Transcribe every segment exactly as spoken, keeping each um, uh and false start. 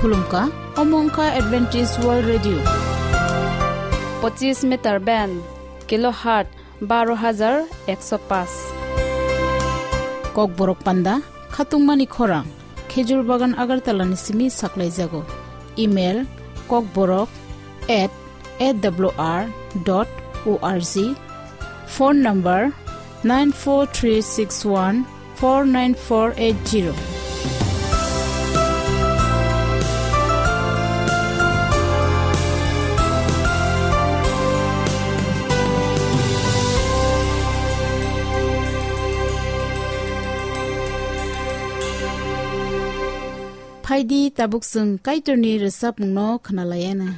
Khulumkha, omo wngkha Adventist World Radio. Pochis meter band, kilohertz baro hajar ekso paanch. Kokborok panda, khatungmani khorang, Khejur Bagan Agartala ni simi saklaijago. Email, kokborok at A W R dot O R G. Phone number, nine four three six one four nine four eight zero. Phaidi, tabuk chwng Kaitorni rwchapmungno khwnalaiyana.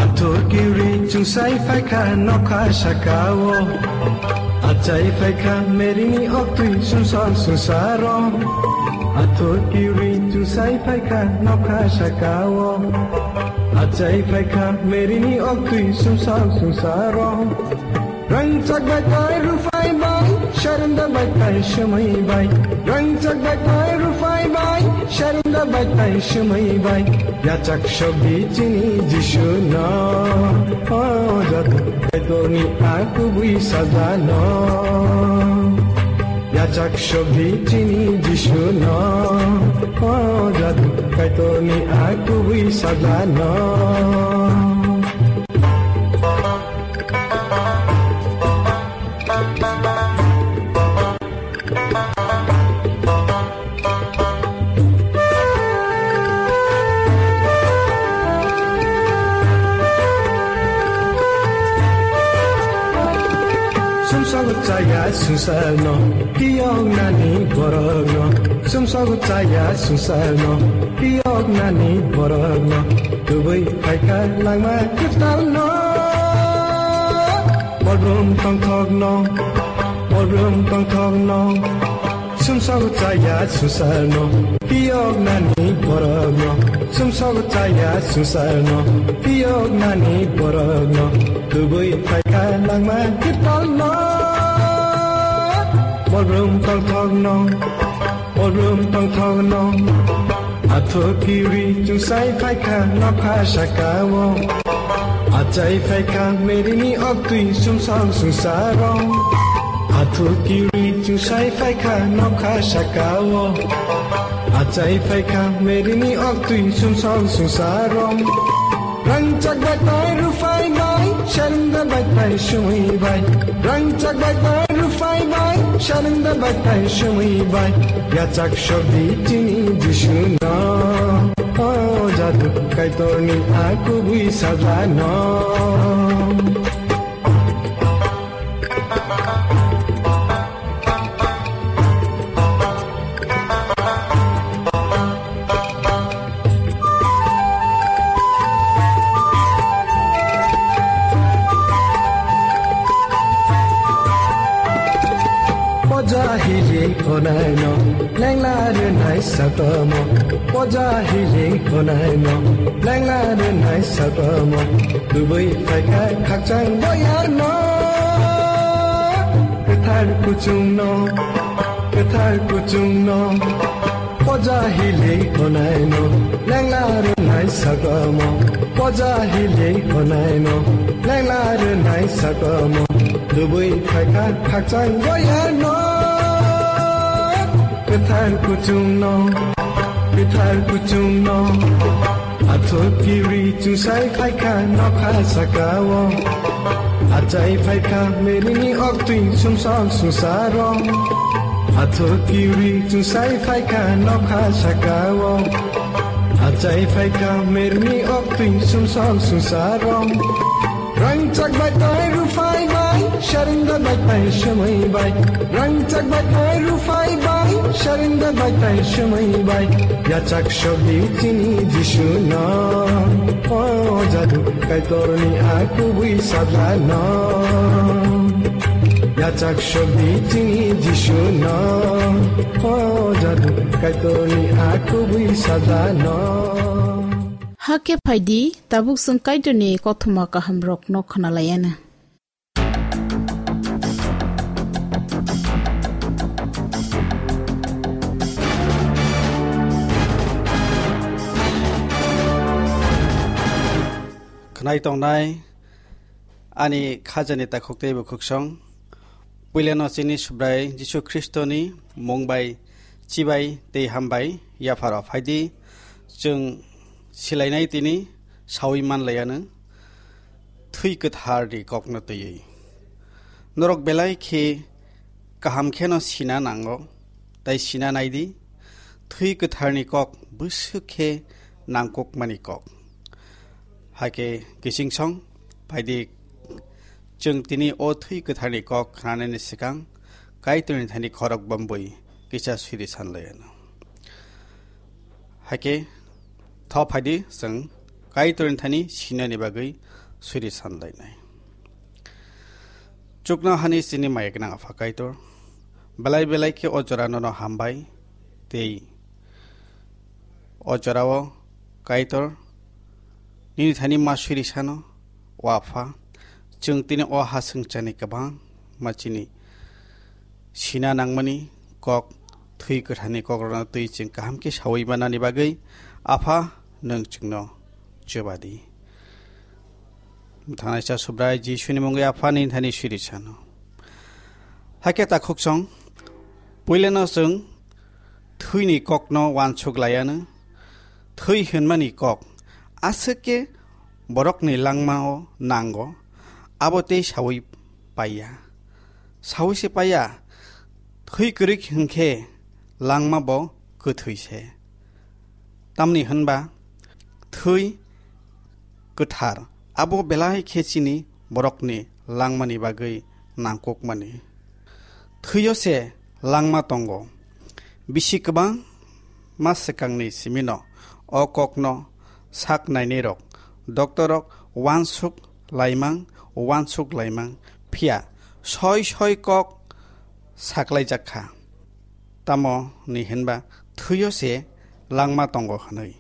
Athukiri chwngsai phaikha nokha sakao. Achai phaikha merini oktwi sumsok sumsaro. Athukiri chwngsai phaikha nokha sakao. Achai phaikha merini oktwi sumsok sumsaro. Rangchak bai tai rufai bai, sharunda bai tai sumui bai. Rangchak bai tai rufai bai, sharunda bai tai sumui bai. Yachak sogdi chini Jisu no, o jadu Kaitorni a kubui saja no. Yachak sogdi chini Jisu no, o jadu Kaitorni a kubui saja no. Sumsok chaya sumsok no, tiyok nani borok no. Sumsok chaya sumsok no, tiyok nani borok no. Tubui phaikha langma kwtal no. Bolbrum tongthok no, bolbrum tongthok no. Sumsok chaya sumsok no, tiyok nani borok no. Sumsok chaya sumsok no, tiyok nani borok no. Tubui phaikha langma kwtal no. Bolbrum tongthok no, bolbrum tongthok no. Athukiri chwngsai phaikha nokha sakao. Achai phaikha merini oktwi sumsok sumsaro. Athukiri chwngsai phaikha nokha sakao. Achai phaikha merini oktwi sumsok sumsaro. Rangchak bai tai rufai bai, sharunda bai tai sumui bai. Rangchak bai tai rufai bai, sharunda bai tai sumui bai. Yachak sogdi chini Jisu no, o jadu Kaitorni a kubui saja no. Poja hili honai no, lengla rwnai sakomo. Poja hili honai no, lengla rwnai sakomo. Tubui phaikha khakchang boyar no. Kwthar kuchung no, kwthar kuchung no. Poja hili honai no, lengla rwnai sakomo. Poja hili honai no, lengla rwnai sakomo. Tubui phaikha khakchang boyar no. Kwthar kuchung no, kwthar kuchung no. Athukiri chwngsai phaikha nokha sakao. Achai phaikha merini oktwi sumsok sumsaro. Athukiri chwngsai phaikha nokha sakao. Achai phaikha merini oktwi sumsok sumsaro. Rangchak bai tai rufai bai, sharunda bai tai sumui bai. Rangchak bai tai rufai bai, sharunda bai tai sumui bai. Yachak sogdi chini Jisu no, o jadu Kaitorni a kubui saja no. Yachak sogdi chini Jisu no, o jadu Kaitorni a kubui saja no. Hakhe phaidi, tabuk chwng Kaitorni kothoma kahamrokno khwnalaiyana. Nai tongnai ani khajani takhuk tei bukhuksong, puilano chini Subrai Jisu Khristoni mung bai chibai tei hambai yapharo phaidi, chwng silainai tini sawi manlaiyanw thwi kwtharni kokno twiwi. Norok belai khe kaham kheno sina nango, tei sina naidi, thwi kwtharni kok bwswk khe nangkukmani kok. Hakhe kichingsong phaidi, chwng tini o thwi kwtharni kok khnanani swkang Kaitorni thani khorok bambwi kisa siri sanlaiyanw. Hakhe tho phaidi, chwng Kaitorni thani sinani bagwi siri sanlainai. Chuknohani chini maya gwnang Apha Kaitor, belai belai khe o jora nono hambai tei o jorao Kaitor nini thani ma siri sano, o Apha, chwng tini o ha swngcharni kwbangma chini sina nangmani kok, thwi kwtharni kokrokno twi chwng kaham khe sawi manani bagwi Apha nwng chwngno chubadi. Mwthangnaisa Subrai Jisuni mungwi Aphani thani siri sano. Hakhe takhuksong, puilano chwng thwini kokno uansuk laiyanw. Thwi hwnmani kok aswk khe borokni langmao nango, abo tei sawi paiya. Sawi se paiya, thwi kwrwi hwnkhe langma bo kwthwi se. Tamni hwnba thwi kwthar abo belai khe chini borokni langmani bagwi nangkukmani. Thwio se langma tongo. Bisi kwbangma swkangni simino o kokno sak nainairok, doctor rok uansuk laimang, uansuk laimang, phiya soi soi kok saklaijak kha. Tamo ni hinba thwio se langma tongo hwnwi.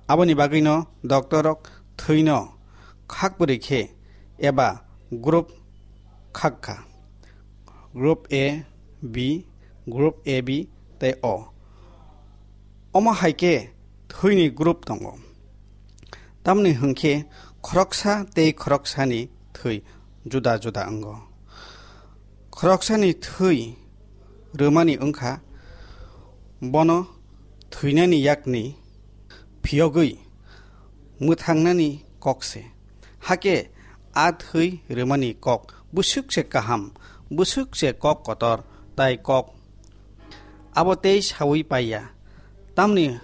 Aboni bagwino doctor rok thwino khak bwrwi khe eba group khak kha. Group A, B, group A B tei O. Omo hai khe thwini group tongo. Tamni hwnkhe khoroksa tei khoroksani thwi juda juda wngo. Khoroksani thwi rwmani wngkha bono thwinani yakni phiyogwi mwthangnani kok se. Hakhe a thwi rwmani kok bwswk se kaham, bwswk se kok kotor, tai kok abo tei sawi paiya. Tamni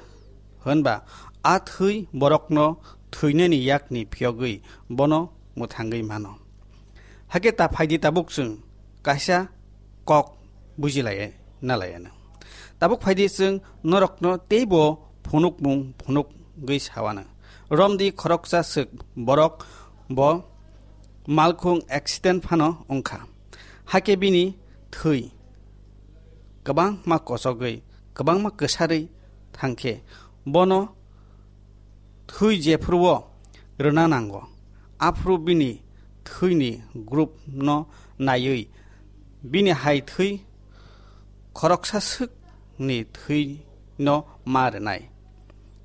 hwnba a thwi borokno thwinani yakni phiyogwi bono mwthangwi mano. Hakhe ta phaidi tabuk chwng kaisa kok bujilai nalaiyanw. Tabuk phaidi chwng norokno teibo phunukmung phunukgwi sawanw. Romdi khoroksa swk borok bo malkhung accident phano wngkha. Hakhe bini thwi kwbangma kochogwi, kwbangma kwsarwi thangkhe bono thwi jephruo rwna nango, aphuru bini thwini group no naiwi bini hai thwi khoroksa swkni thwino ma rwnai.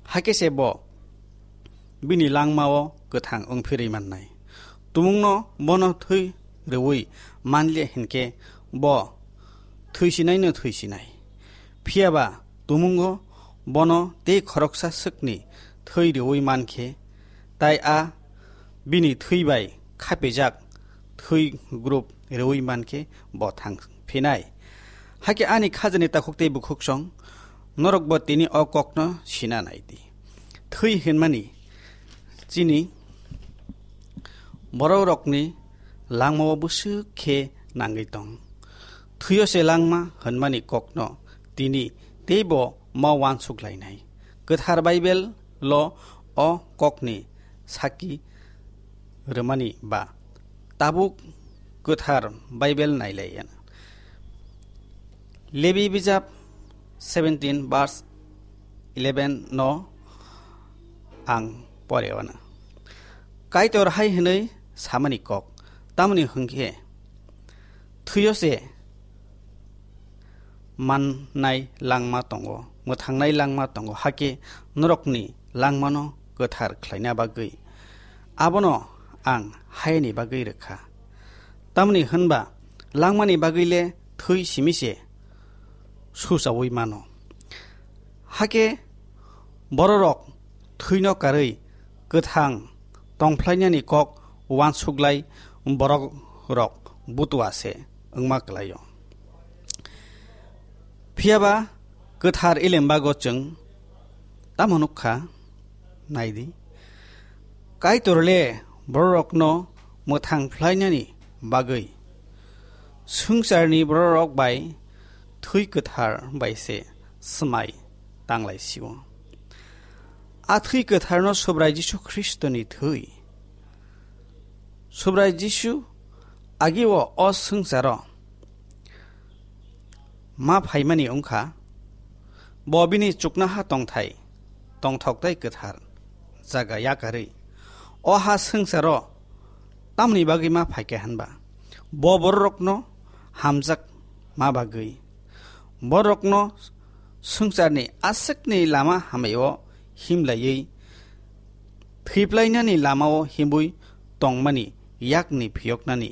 Hakhe se bo bini langmao kwthang wngphirwi mannai. Tumungno bono thwi rwui manliya hinkhe bo thwisinaino thwisinai. Phiyaba tumungo bono tei khoroksa swkni thwi rwui mankhe, tai a bini thwi bai khapijak thwi group rwui mankhe bo thang phinai. Hakhe ani khajani takhuk tei bukhuksong, norokbo tini o kokno sina nai di. Thwi hwnmani chini bororokni langmao bwswk khe nangwi tong. Thwio se langma hwnmani kokno tini teibo ma uansuk lainai. Kwthar Baibel lo o kokni saki rwmani ba tabuk Kwthar Baibel nailaiya. Lebi bijap seventeen verse eleven no ang poreo na. Kaitor hai hwnwi samani kok, tamoni hwnkhe thwio se mannai langma tongo, mwthangnai langma tongo, hakhe norokni langmano kwthar khlaina bagwi. Abono ang hayani bagwi rwkha. Tamni hwnba langmani bagwi le thwi simi se suchaui mano. Hakhe bororok thwino karwi kwthang tongphlainani kok uansuklai borokrok butua se wngma kwlaio. Phiyaba kwthar elembago chwng tamo nukha? Naidi, Kaitor le bororokno mwthang phlainani bagwi swngcharni bororok bai thwi kwthar bai se swmai tanglaisio. A thwi kwtharno Subrai Jisu Khristoni thwi. Subrai Jisu agio o swngcharo ma phaimani wngkha, bo bini chuknoha tongthai, tongthok tei kwthar jaga yakarwi o ha swngcharo tamni bagwi ma phaikha hwnba, bo bororokno hamjak ma bagwi, borokno swngcharni aswkni lama hamao himlaiwi thwiplainani lamao himwi tongmani yakni phiyoknani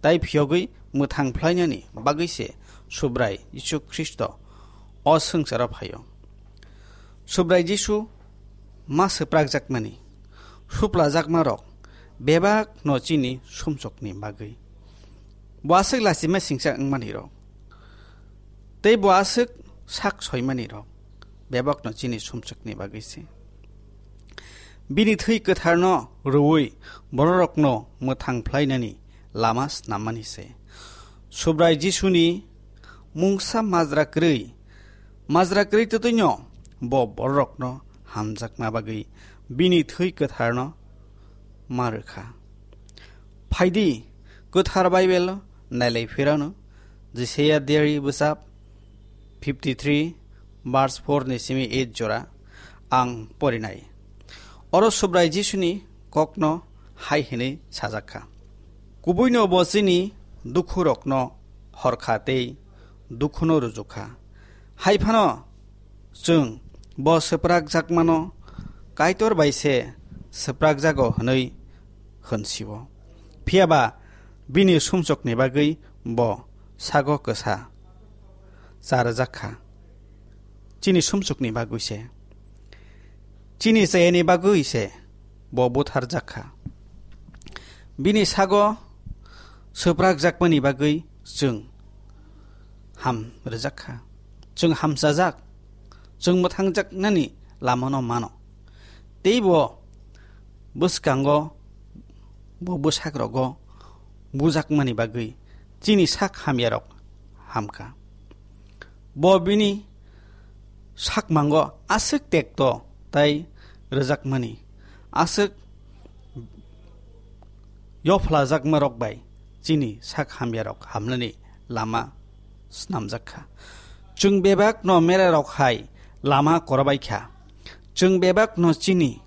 tei phiyogwi mwthang phlainani bagwi se Subrai Jisu Khristo o swngcharo phaio. Subrai Jisu ma swprakjakmani, suplajakmarok bebakno chini sumsokni bagwi. Bo aswk lachima singcha wngmanirok tei bo aswk sak soimanirok bebakno chini sumsokni bagwi se. Bini thwi kwtharno rwui bororokno mwthang phlainani lama snammani se. Subrai Jisuni mungsa majra kwrwi, majra kwrwi twtwino bo bororokno hamjakma bagwi bini thwi kwtharno ma rwkha. Phaidi, kwthar Baibel nailai phirano, Jisaiya diary bwsap fifty three, verse four ni simi eight jora ang porinai. Oro Subrai Jisuni kokno hai hwnwi sajakha, Kubuino bo chini dukhurokno horkha tei dukhuno rujukha. Hai phano chwng bo swprakjakmano Kaitor bai se swprakjago hwnwi hwn sio. Phiyaba bini sumsokni bagwi bo sago kwsa cha rwjak kha. Chini sumsokni bagwi se, chini chayani bagwi se bo butharjak kha. Bini sago swprakjakmani bagwi chwng ham rwjak kha. Chwng hamchajak, chwng mwthangjaknani lamano mano. Tei bo bwskango, bo bwsakrogo bujakmani bagwi chini sak hamyarok hamkha. Bo bini sakmango aswk tekto tei rwjakmani, aswk yophlajakmarok bai chini sak hamyarok hamnani lama snamjak kha. Chwng bebakno merarok hai lama korobai kha. Chwng bebakno chini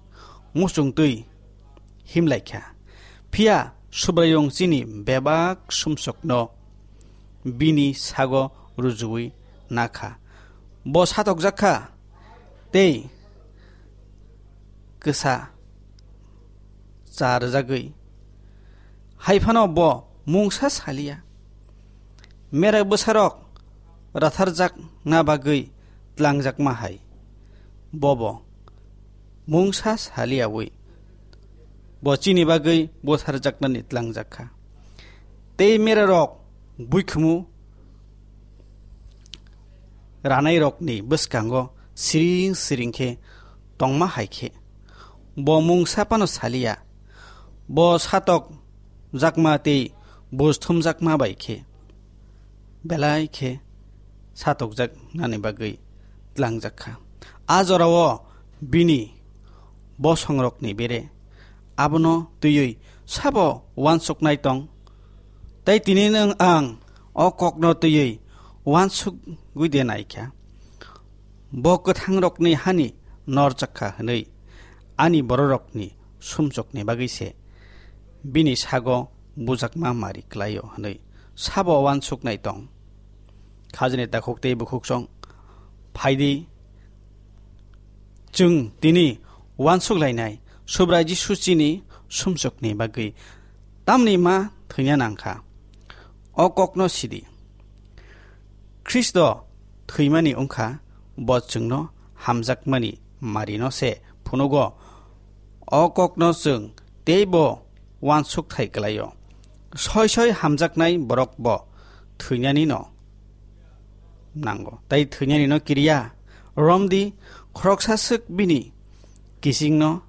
muchungtwi himlai kha. Phiya Subraiyung chini bebak sumsokno bini sago rujuwi na kha. Bo satokjak kha tei kwsa cha rwjagwi. Hai phano bo mungsa saliya. Merak bwsarok ratharjakna bagwi tlangjakma hai. Bobo mungsa saliyawi bo chini bagwi butharjaknani tlangjak kha. Tei merarok buikhumu ranairokni bwskango siring siring khe tongma hai khe, bo mungsa phano saliya. Bo satokjakma tei buj thumjakma bai khe belai khe satokjaknani bagwi tlangjak kha. A jorao bini bosongrokni bere abono twiwi sabo uansuknai tong? Tei tini nwng ang o kokno twiwi uansukgwi de nai kha? Bo kwthangrokni hani norjak kha hwnwi ani bororokni sumsokni bagwi se bini sago bujakma mari klaio hwnwi sabo uansuknai tong? Khajani takhuk tei bukhuksong, phaidi, chwng tini uansuk lainai Subrai Jisu chini sumsokni bagwi tamni ma thwina nangkha. O kokno sidi. Khristo thwimani wngkha, bo chwngno hamjakmani marino se phunugo. O kokno chwng teibo uansukthai kwlaio. Soi soi hamjaknai borok bo thwinani no nango. Tai thwinani no kiriya. Romdi khoroksa swk bini kisingno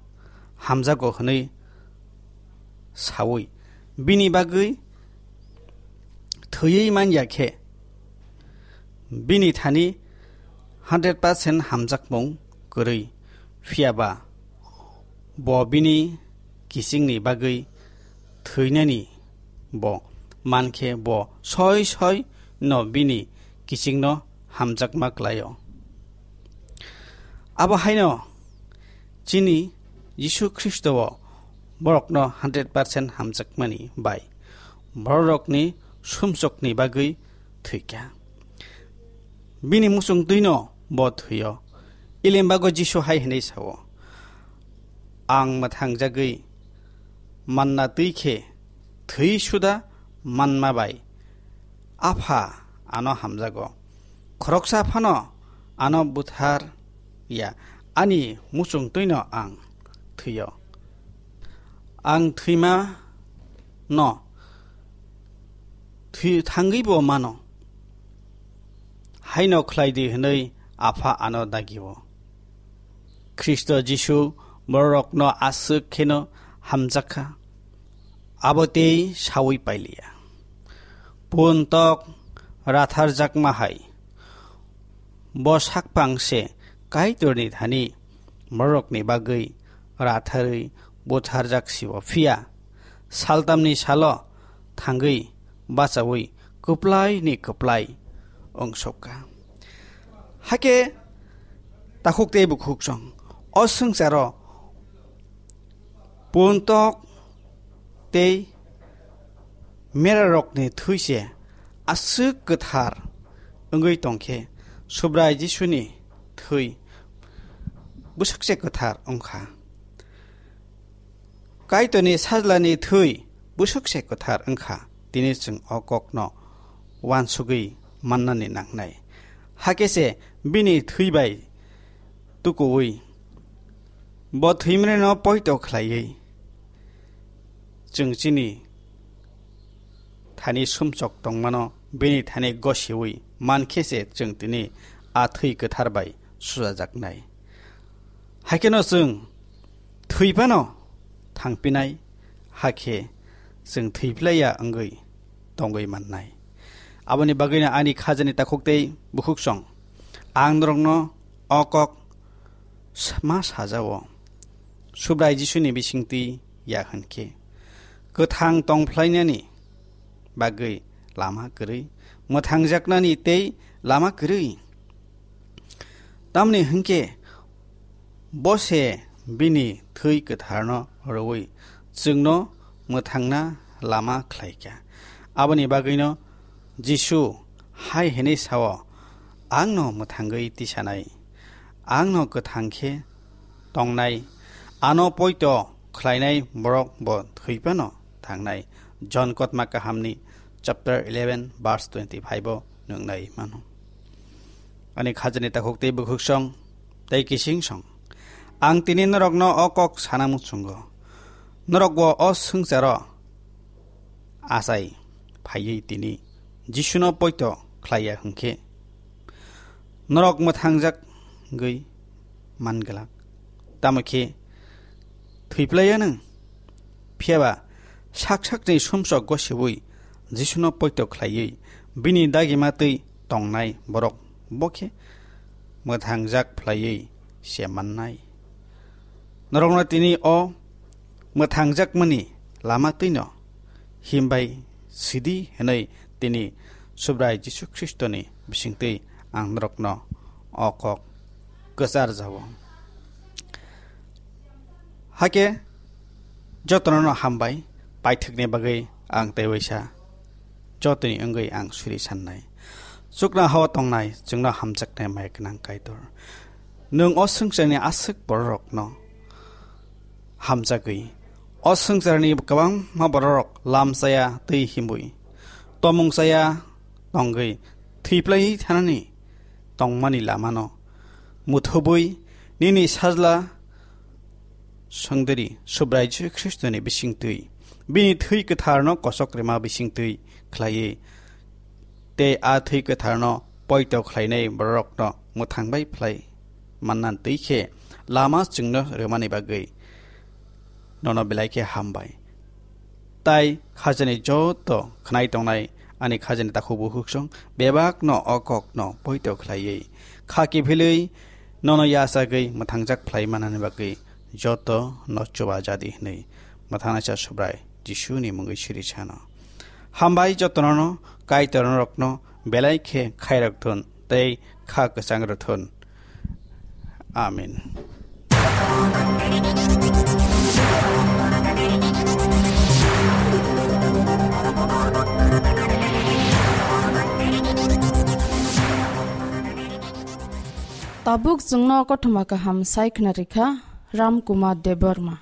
hamjago hwnwi sawi. Bini bagwi thwiwi man ya khe, bini thani hundred percent hamjakmung kwrwi. Phiya ba bo bini kisingni bagwi thwinani bo man khe bo soi soi no bini kisingno hamjakma klaio. Abo haino chini Jisu Khristo o borokno hundred percent hamjakmani bai borokni sumsokni bagwi thwikha. Bini muchung twino bo thwio. Ilimbago Jisu hai hwnwi sao, "Ang mwthangjagwi manna twi khe thwi suda manma bai Apha ano hamjago. Khoroksa phano ano buthar ya, ani muchung twino ang thwio. Ang thwima no thwi thangwi bo mano. Haino khlai di," hwnwi Apha ano dagio. Khristo Jisu bororokno aswk kheno hamjakha, abo tei saui pailiya. Pun tok ratharjakma hai, bo sakpang se Kaitorni thani bororokni bagwi ratharwi butharjak sibo, phiya saltamni salo thangwi bachaui kwplaini kwplai wngsukha. Hakhe takhuk tei bukhuk chwng o swngcharo pun tok tei merarokni thwi se aswk kwthar wngwi tongkhe, Subrai Jisuni thwi bwswk se kwthar wngkha. Kaitorni sajlani thwi bwswk se kwthar wngkha, tini chwng o kokno uansugwi mannani nangnai. Hakhe se bini thwi bai tukuui, bo thwimreno poito khlaiwi, chwng chini thani sumsok tongmano bini thani gosiui mankhe se chwng tini a thwi kwthar bai sujajaknai. Haikhe no chwng thwi phano thangpinai, hakhe chwng thwi phlaiya wngwi tongwi mannai. Aboni bagwino ani khajani takhuk tei bukhuk song ang norokno o kok s-, ma sajao. Subrai Jisuni bisingtwi ya hwnkhe, kwthang tongphlainani bagwi lama kwrwi, mwthangjaknani tei lama kwrwi. Tamni hwnkhe bo se bini thwi kwtharno rwui chwngno mwthangna lama khlaikha. Aboni bagwino Jisu hai hwnwi sao, "Angno mwthangwi tisanai, angno kwthang khe tongnai, ano poito khlainai borok bo thwi phano thangnai." Jon Kotma Kahamni chapter eleven verse twenty-five o nuknai mano. Ani khajani takhuk tei bukhuk song tei kising song, ang tini norokno o kok sana muchungo. Norok bo o swngcharo achai phaiwi tini Jisuno poito khlaiya hwnkhe, norok mwthangjagwi man glak. Tamo khe thwi phlaiya nwng. Phiya ba sak sakni sumsok gosiui Jisuno poito khlaiwi bini dagima twi tongnai borok bo khe mwthangjak phlaiwi se mannai. Norokno tini o mwthangjakmani lama twino himbai sidi hwnwi tini Subrai Jisu Khristoni bisingtwi ang norokno o kok kwchar jao. Hakhe jotono no hambai, paithakni bagwi ang tei waisa jotoni wngwi ang suri sannai. Chuknohao tongnai chwngno hamjaknai mai gwnang Kaitor, nwng o swngcharni aswk bororokno hamjagwi O swngcharni kwbangma bororok lam chaya twi himwi, tomung chaya tongwi thwiplaiwi thanani tongmani lamano muthubwi nini Sajla Swngdiri Subrai Jisu Khristoni bisingtwi, bini thwi kwtharno kosok rima bisingtwi khlaiwi, tei a thwi kwtharno poito khlainai bororokno mwthangbai phlai manna twi khe lama chwngno rwmani bagwi nono belai khe hambai. Tai khajani joto khnai tongnai ani khajani takhuk bukhuksong bebakno o kokno poito khlaiwi, kha kiphilwi nono yachagwi mwthangjak phlai manani bagwi joto no chuba jadi hwnwi mwthangnaisa Subrai Jisuni mungwi siri sano. Hambai jotono, Kaitor norokno belai khe khairok thun tei kha kwchang rw thun. Amen. Tabuk chwngno kothoma kaham sai khna rikha Ram Kumar Debbarma.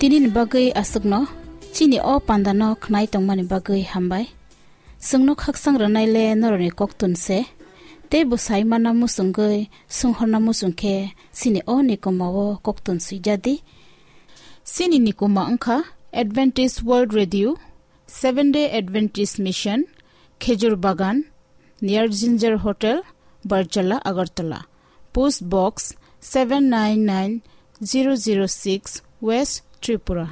Nini bagwi aswkno chini o pandano khnai tongmani bagwi hambai. Chwngno khakchang rwnaile norokni koktun se. Tei bo sai manna muchungwi, swnghorna muchung khe chini o nikoma o koktun swijadi. Chini nikoma wngkha Adventist World Radio, Seventh Day Adventist Mission, Khejur Bagan, near Ginger Hotel, Barjala, Agartala. Post Box seven nine nine zero zero six, West Tripura.